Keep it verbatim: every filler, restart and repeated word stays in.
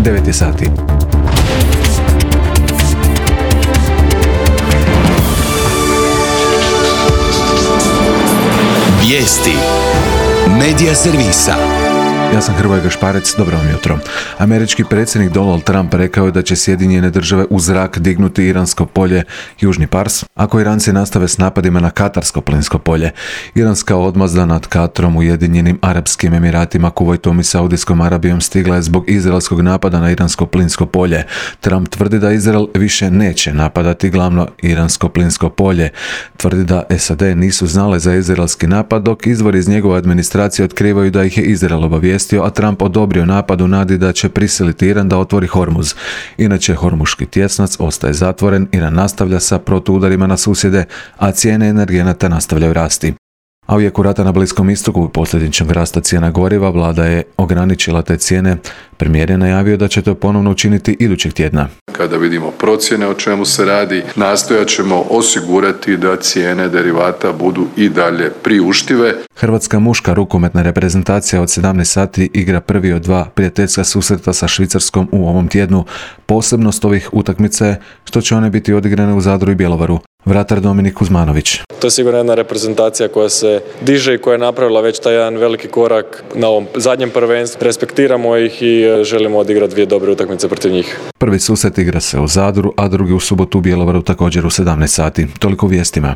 devet je sati. Vijesti Medija servisa. Ja sam Hrvoje Gašparec, dobro vam jutro. Američki predsjednik Donald Trump rekao je da će Sjedinjene države u zrak dignuti iransko polje Južni Pars, ako Iranci nastave s napadima na katarsko plinsko polje. Iranska odmazda nad Katrom, Ujedinjenim Arapskim Emiratima, Kuvajtom i Saudijskom Arabijom stigla je zbog izraelskog napada na iransko plinsko polje. Trump tvrdi da Izrael više neće napadati glavno iransko plinsko polje. Tvrdi da S A D nisu znale za izraelski napad, dok izvori iz njegove administracije otkrivaju da ih je Izrael obavijestio, a Trump odobrio napad u nadi da će prisiliti Iran da otvori Hormuz. Inače, Hormuški tjesnac ostaje zatvoren, Iran nastavlja sa protuudarima na susjede, a cijene energenata nastavljaju rasti. A u jeku rata na Bliskom istoku i posljedičnog rasta cijena goriva vlada je ograničila te cijene. Premijer je najavio da će to ponovno učiniti idućeg tjedna. Kada vidimo procjene o čemu se radi, nastojat ćemo osigurati da cijene derivata budu i dalje priuštive. Hrvatska muška rukometna reprezentacija od sedamnaest sati igra prvi od dva prijateljska susreta sa Švicarskom u ovom tjednu. Posebnost ovih utakmica je što će one biti odigrane u Zadru i Bjelovaru. Vratar Dominik Kuzmanović. To je sigurno jedna reprezentacija koja se diže i koja je napravila već taj jedan veliki korak na ovom zadnjem prvenstvu. Respektiramo ih i želimo odigrati dvije dobre utakmice protiv njih. Prvi susret igra se u Zadru, a drugi u subotu u Bjelovaru također u sedamnaest sati. Toliko u vijestima.